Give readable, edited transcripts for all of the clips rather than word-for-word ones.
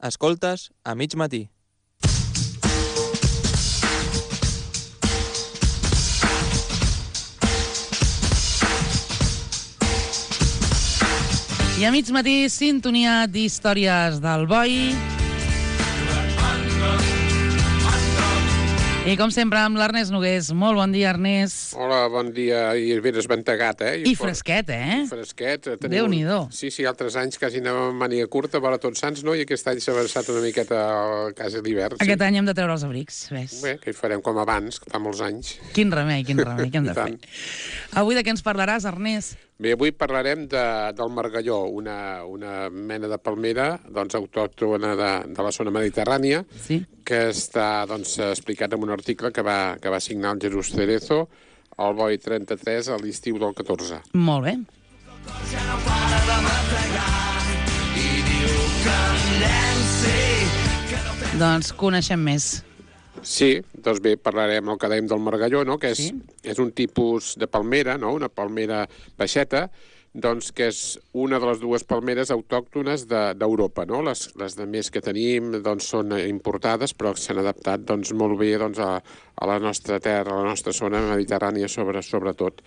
Escoltes a mig matí. I a mig matí, sintonia d'històries del boi. I com sempre, amb l'Ernest Nogués. Molt bon dia, Ernest. Hola, bon dia. I ben esventegat, eh? I fresquet, eh? Fresquet. Déu-n'hi-do. Sí, altres anys quasi anàvem amb màniga curta, vora Tots Sants, no? I aquest any s'ha avançat una miqueta al cas de l'hivern. Aquest any hem de treure els abrics, ves. Bé, que hi farem com abans, que fa molts anys. Quin remei, què hem de fer? Avui de què ens parlaràs, Ernest? Bé, avui parlarem del margalló, una mena de palmera doncs, autòctona de la zona mediterrània, Sí. que està doncs, explicat en un article que va signar el Jesús Cerezo al Boi 33 a l'estiu del 14. Molt bé. Doncs coneixem més. Sí, doncs bé, parlarem el que dèiem del margalló, no? Que és un tipus de palmera, no? Una palmera baixeta, doncs que és una de les dues palmeres autòctones d'Europa, no? Les de més que tenim doncs, són importades, però s'han adaptat doncs, molt bé doncs, a la nostra terra, a la nostra zona mediterrània sobretot.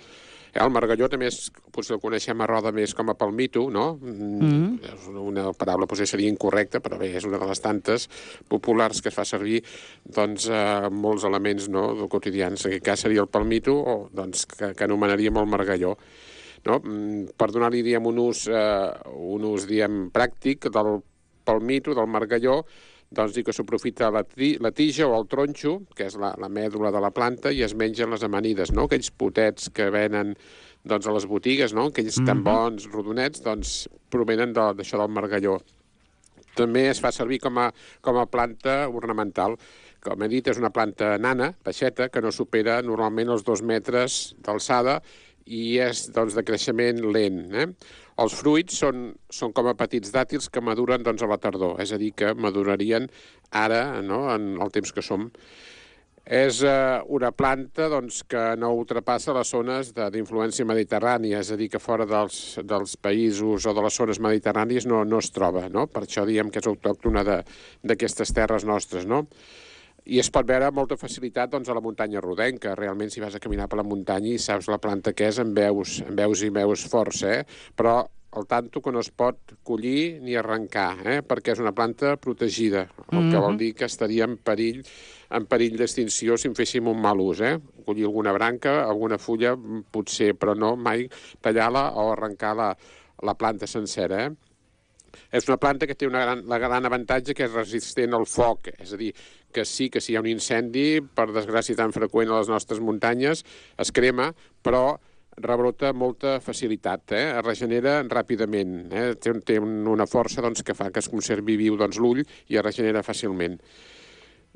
El margalló també potser el coneixem a Roda més com a palmito, no? Una paraula potser seria incorrecta, però bé, és una de les tantes populars que es fa servir doncs, molts elements no, quotidians. En aquest cas seria el palmito, o doncs, que anomenaríem el margalló. No? Per donar-li un ús diguem, pràctic del palmito, del margalló, doncs dir que s'aprofita la tija o el tronxo, que és la mèdula de la planta, i es mengen les amanides, no? Aquells potets que venen doncs, a les botigues, no? Aquells tan bons, rodonets, doncs provenen d'això del margalló. També es fa servir com a planta ornamental. Com he dit, és una planta nana, baixeta, que no supera normalment els 2 metres d'alçada i és doncs, de creixement lent. Els fruits són com a petits dàtils que maduren doncs, a la tardor, és a dir, que madurarien ara, no?, en el temps que som. És una planta doncs, que no ultrapassa les zones d'influència mediterrània, és a dir, que fora dels països o de les zones mediterrànies no es troba, no? Per això diem que és autòctona d'aquestes terres nostres, no? I es pot veure amb molta facilitat doncs, a la muntanya rodenca. Realment, si vas a caminar per la muntanya i saps la planta que és, en veus força, però al tanto que no es pot collir ni arrencar, perquè és una planta protegida, el que vol dir que estaria en perill d'extinció si en féssim un mal ús. Collir alguna branca, alguna fulla, potser, però no mai tallar-la o arrencar la planta sencera. És una planta que té la gran avantatge que és resistent al foc, és a dir, que sí que si hi ha un incendi, per desgràcia tan freqüent a les nostres muntanyes, es crema, però rebrota amb molta facilitat, es regenera ràpidament, té una força doncs, que fa que es conservi viu doncs, l'ull i es regenera fàcilment.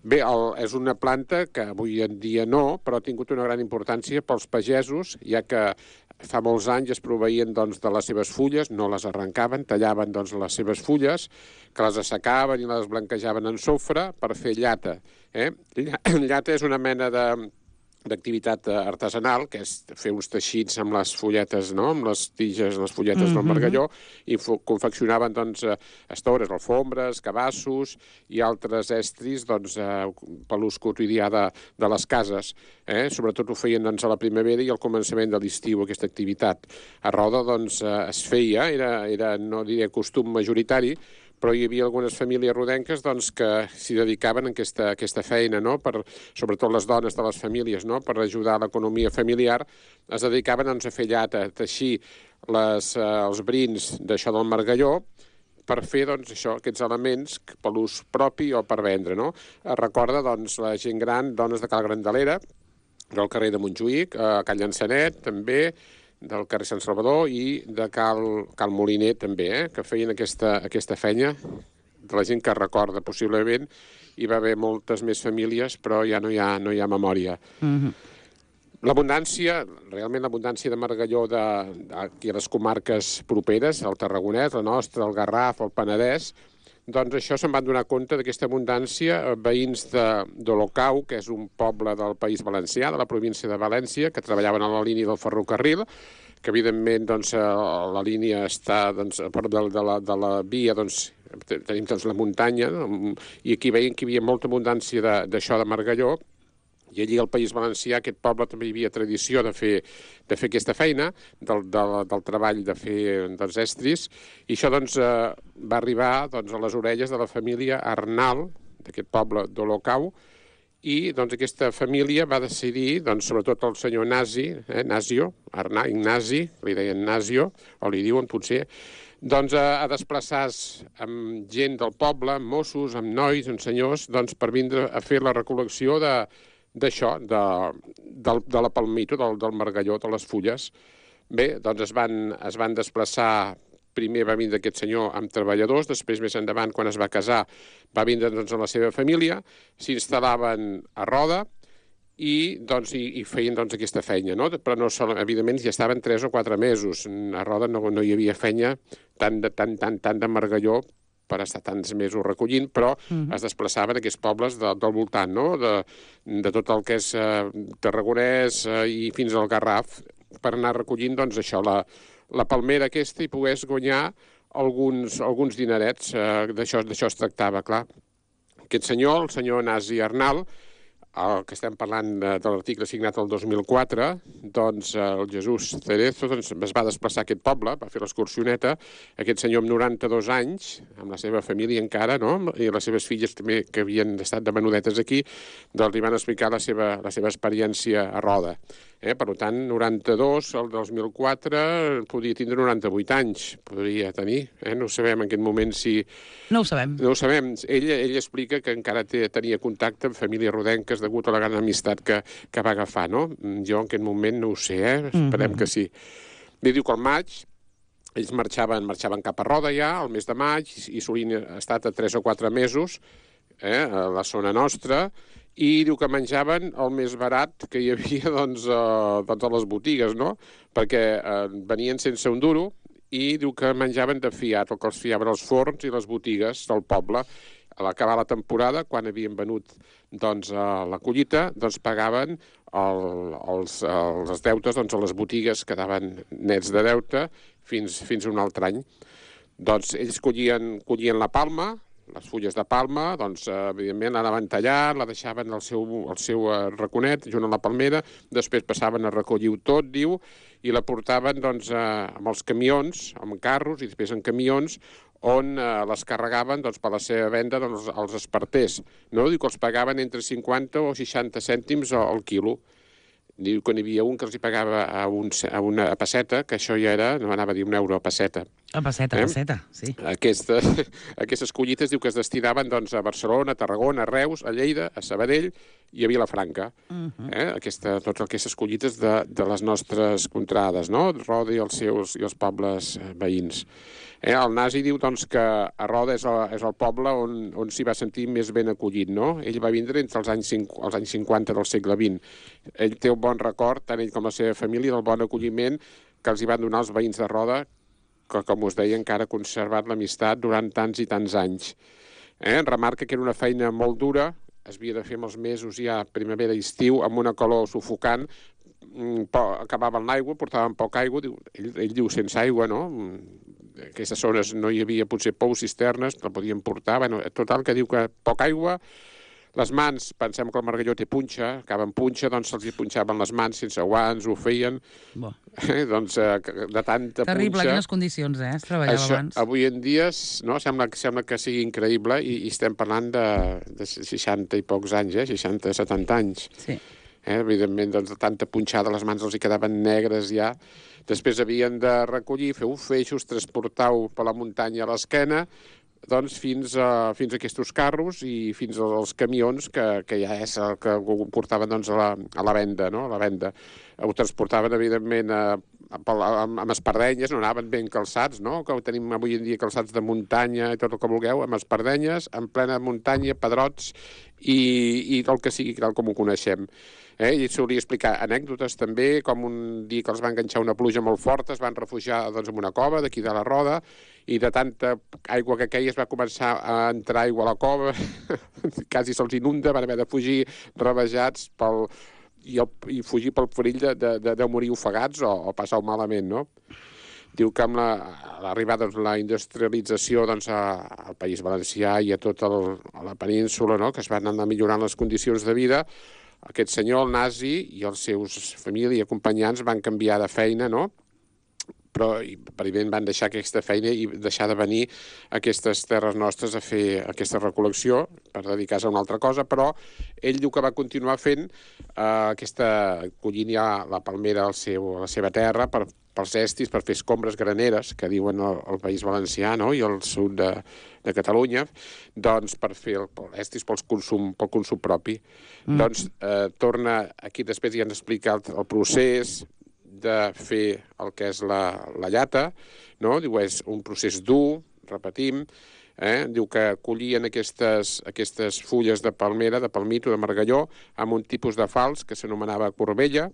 Bé, és una planta que avui en dia no, però ha tingut una gran importància pels pagesos, ja que fa molts anys es proveïen doncs, de les seves fulles, no les arrencaven, tallaven doncs, les seves fulles, que les assecaven i les blanquejaven en sofre per fer llata. Llata és una mena d'activitat artesanal, que és fer uns teixits amb les fulletes, no? Amb les tiges, les fulletes del margalló, i confeccionaven doncs, estores, alfombres, cabassos i altres estris doncs, per l'ús quotidià de les cases. Sobretot ho feien doncs, a la primavera i al començament de l'estiu, aquesta activitat. A Roda doncs, es feia, era no diré costum majoritari, però hi havia algunes famílies rodenques doncs, que s'hi dedicaven a aquesta feina, no? Sobretot les dones de les famílies, no? Per ajudar a l'economia familiar, es dedicaven doncs, a fer llata, a teixir els brins d'això del margalló, per fer doncs, aquests elements per l'ús propi o per vendre. No? Es recorda doncs, la gent gran, dones de Cal Grandelera, del carrer de Montjuïc, a Cal Llançanet també, del carrer Sant Salvador i de Cal Moliner també, que feien aquesta feina de la gent que recorda. Possiblement hi va haver moltes més famílies, però ja no hi ha memòria. Realment l'abundància de margalló aquí a les comarques properes, el Tarragonès, la nostra, el Garraf, el Penedès, doncs això se'n van donar compte d'aquesta abundància veïns d'Olocau, que és un poble del País Valencià, de la província de València, que treballaven a la línia del ferrocarril, que evidentment doncs, la línia està, doncs, a part de la via, doncs, tenim doncs la muntanya, no? I aquí veiem que hi havia molta abundància d'això de margalló, i allí al País Valencià, aquest poble, també hi havia tradició de fer aquesta feina, del treball de fer dels estris, i això doncs, va arribar doncs, a les orelles de la família Arnal, d'aquest poble d'Olocau, i doncs, aquesta família va decidir, doncs, sobretot el senyor Nasio, Ignasi, li deien Nasio, o li diuen potser, doncs, a desplaçar-se amb gent del poble, amb Mossos, amb nois, amb senyors, doncs, per vindre a fer la recol·lecció d'això, de la palmito, del margalló, de les fulles. Bé, doncs es van desplaçar. Primer va vindre aquest senyor amb treballadors, després, més endavant, quan es va casar, va vindre doncs, amb la seva família, s'instal·laven a Roda i feien doncs, aquesta feina. No? Però no, evidentment ja estaven 3 o 4 mesos. A Roda no hi havia feina tant de margalló per estar tants mesos recollint, però es desplaçaven a aquests pobles del voltant, no? de tot el que és Tarragonès i fins al Garraf, per anar recollint doncs, això, la palmera aquesta, i pogués guanyar alguns dinerets. D'això es tractava, clar. Aquest senyor, el senyor Nasi Arnal, el que estem parlant de l'article signat el 2004, doncs el Jesús Cerezo doncs, es va desplaçar a aquest poble, va fer l'excursioneta, aquest senyor amb 92 anys, amb la seva família encara, no? I les seves filles també, que havien estat de menudetes aquí, doncs li van explicar la seva experiència a Roda. Per tant, 92, el 2004, podia tindre 98 anys, podria tenir. No ho sabem en aquest moment si... No ho sabem. No ho sabem. Ell explica que encara tenia contacte amb famílies rodenques degut a la gran amistat que va agafar, no? Jo en aquest moment no ho sé, esperem que sí. Li diu que al maig ells marxaven cap a Roda ja, al mes de maig, i solien estar a 3 o 4 mesos a la zona nostra, i diu que menjaven el més barat que hi havia doncs, a les botigues, no? Perquè venien sense un duro i diu que menjaven de fiat, el que els fiaven els forns i les botigues del poble. A l'acabar la temporada, quan havien venut doncs, la collita, doncs pagaven els deutes doncs, a les botigues, quedaven nets de deute fins a un altre any. Doncs ells collien la palma, les fulles de palma, doncs, evidentment, l'anaven tallant, la deixaven al seu raconet, junt a la palmera, després passaven a recollir-ho tot, diu, i la portaven doncs, amb els camions, amb carros, i després en camions, on les carregaven doncs, per la seva venda doncs, als esparters. No? Diu que els pagaven entre 50 o 60 cèntims al quilo. Diu que n'hi havia un que els hi pagava a una pesseta, que això ja era, no anava a dir €1 a pesseta. A pesseta, sí. Aquestes collites diu que es destinaven doncs, a Barcelona, a Tarragona, a Reus, a Lleida, a Sabadell i a Vilafranca. Totes aquestes collites de les nostres contrades, no? Roda i els pobles veïns. El Nasi diu doncs, que a Roda és el poble on s'hi va sentir més ben acollit, no? Ell va vindre entre els anys 50 del segle XX. Ell té un bon record, tant ell com la seva família, del bon acolliment que els hi van donar els veïns de Roda, que, com us deia, encara ha conservat l'amistat durant tants i tants anys. Remarca que era una feina molt dura, es havia de fer amb els mesos ja primavera i estiu, amb una calor sufocant, acabaven l'aigua, portaven poca aigua, ell diu sense aigua, no? En aquestes zones no hi havia potser pous, cisternes, la podien portar, total, que diu que poca aigua. Les mans, pensem que el margalló té punxa, acaben punxa, doncs se'ls hi punxaven les mans sense guants, ho feien, doncs de tanta punxa. Terrible, quines condicions, es treballava abans. Avui en dia, no, sembla que sigui increïble i estem parlant de 60 i pocs anys, 60, 70 anys. Sí. Evidentment, doncs, de tanta punxada, les mans els hi quedaven negres ja. Després havien de recollir, fer feixos, transportar-ho per la muntanya a l'esquena, doncs fins a aquests carros i fins als camions, que ja és el que ho portaven doncs, a la venda, no? A la venda. Ho transportaven, evidentment, amb espardenyes, no anaven ben calçats, no? Que tenim avui en dia calçats de muntanya i tot el que vulgueu, amb espardenyes, en plena muntanya, pedrots i el que sigui, tal com ho coneixem. I solia explicar anècdotes també, com un dia que els va enganxar una pluja molt forta, es van refugiar doncs, en una cova d'aquí de la Roda, i de tanta aigua que queia es va començar a entrar aigua a la cova, quasi se'ls inunda, van haver de fugir rabejats i fugir pel perill de morir ofegats o passar-ho malament, no? Diu que amb l'arribada de la industrialització doncs, al País Valencià i a tota la península, no?, que es van anar millorant les condicions de vida, aquest senyor, el nazi, i els seus família i acompanyants van canviar de feina, no?, però evidentment van deixar aquesta feina i deixar de venir a aquestes terres nostres a fer aquesta recol·lecció per dedicar-se a una altra cosa, però ell diu que va continuar fent collint ja la palmera a la seva terra pels estis, per fer escombres graneres, que diuen al País Valencià, no?, i al sud de Catalunya, doncs per fer estis pel consum propi. Doncs torna aquí, després ja ens explica el procés de fer el que és la llata, no? Diu, és un procés dur, repetim, diu que collien aquestes fulles de palmera, de palmito, de margalló, amb un tipus de falç que s'anomenava corbella.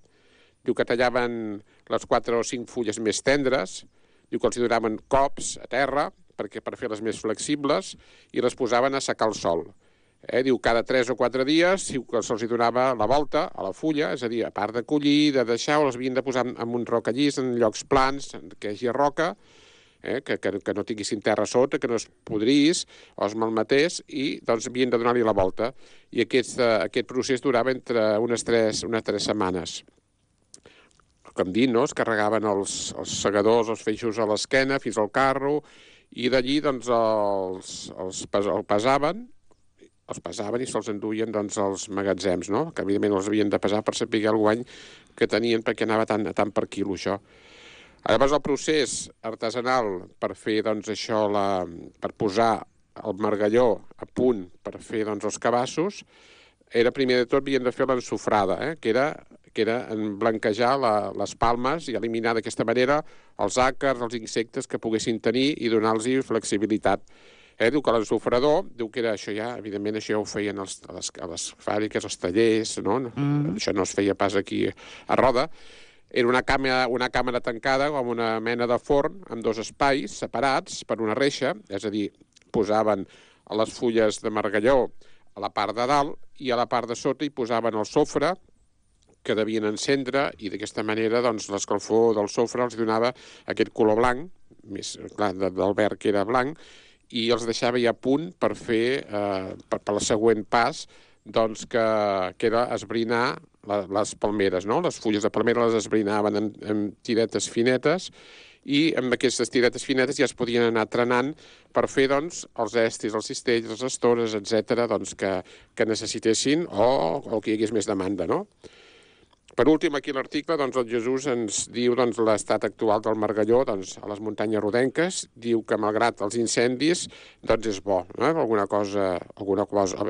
Diu que tallaven les 4 o 5 fulles més tendres, diu que els donaven cops a terra per fer-les més flexibles i les posaven a secar al sol. Diu cada 3 o 4 dies diu que se'ls donava la volta a la fulla, és a dir, a part de collir, de deixar, o les havien de posar en un rocallís, en llocs plans, que hi hagi roca, que no tinguessin terra sota, que no es podrís o es malmetés, i doncs havien de donar-li la volta. I aquest procés durava entre unes 3 setmanes. Com dit, no? Es carregaven els segadors, els feixos a l'esquena, fins al carro, i d'allí doncs, els pesaven i se'ls enduien doncs, als magatzems, no? Que evidentment els havien de pesar per saber el guany que tenien, perquè anava tant per quilo, això. Llavors, el procés artesanal per fer doncs, això, per posar el margalló a punt per fer doncs, els cabassos, era primer de tot havien de fer l'ensofrada, que era blanquejar les palmes i eliminar d'aquesta manera els àcars, els insectes que poguessin tenir i donar-los flexibilitat. Diu que l'ensofrador, diu que era això ja, evidentment això ja ho feien a les fàbriques, als tallers, no? Això no es feia pas aquí a Roda. Era una càmera tancada com una mena de forn amb 2 espais separats per una reixa, és a dir, posaven les fulles de margalló a la part de dalt i a la part de sota hi posaven el sofre que devien encendre, i d'aquesta manera doncs, l'escalfor del sofre els donava aquest color blanc, més clar, del verd que era blanc, i els deixava ja a punt per fer, per al següent pas, doncs que era esbrinar les palmeres, no? Les fulles de palmera les esbrinaven en tiretes finetes, i amb aquestes tiretes finetes ja es podien anar trenant per fer doncs, els estis, els cistells, les estores, etc., doncs, que necessitessin o que hi hagués més demanda, no? Per últim, aquí a l'article, doncs, el Jesús ens diu doncs, l'estat actual del margalló doncs, a les muntanyes rodenques. Diu que, malgrat els incendis, doncs és bo. No? Alguna cosa,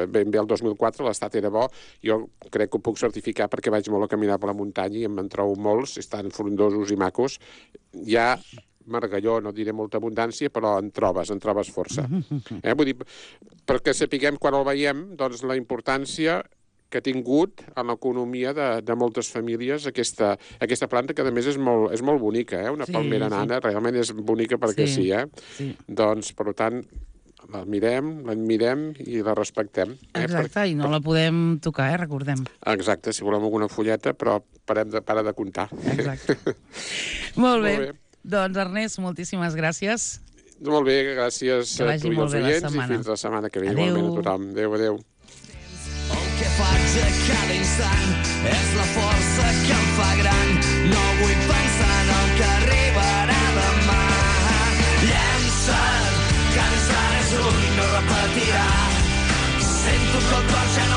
ben bé el 2004 l'estat era bo. Jo crec que ho puc certificar perquè vaig molt a caminar per la muntanya i me'n trobo molts, estan frondosos i macos. Hi ha margalló, no diré molta abundància, però en trobes força. Vull dir, perquè sapiguem quan el veiem, doncs, la importància que ha tingut en l'economia de moltes famílies aquesta planta, que a més és molt bonica, una palmera nana, realment és bonica perquè sí. Doncs, per tant, l'admirem i la respectem. Exacte, i no la podem tocar, recordem. Exacte, si volem alguna fulleta, però para de comptar. Exacte. Molt bé. Doncs, Ernest, moltíssimes gràcies. Molt bé, gràcies a tu i als oients, i fins la setmana que ve. Igualment a tothom. Adéu. Que faig a cada instant és la força que em fa gran. No vull pensar en el que arribarà demà. Llença't, que més ara és un no repetirà. Sento que el cor ja no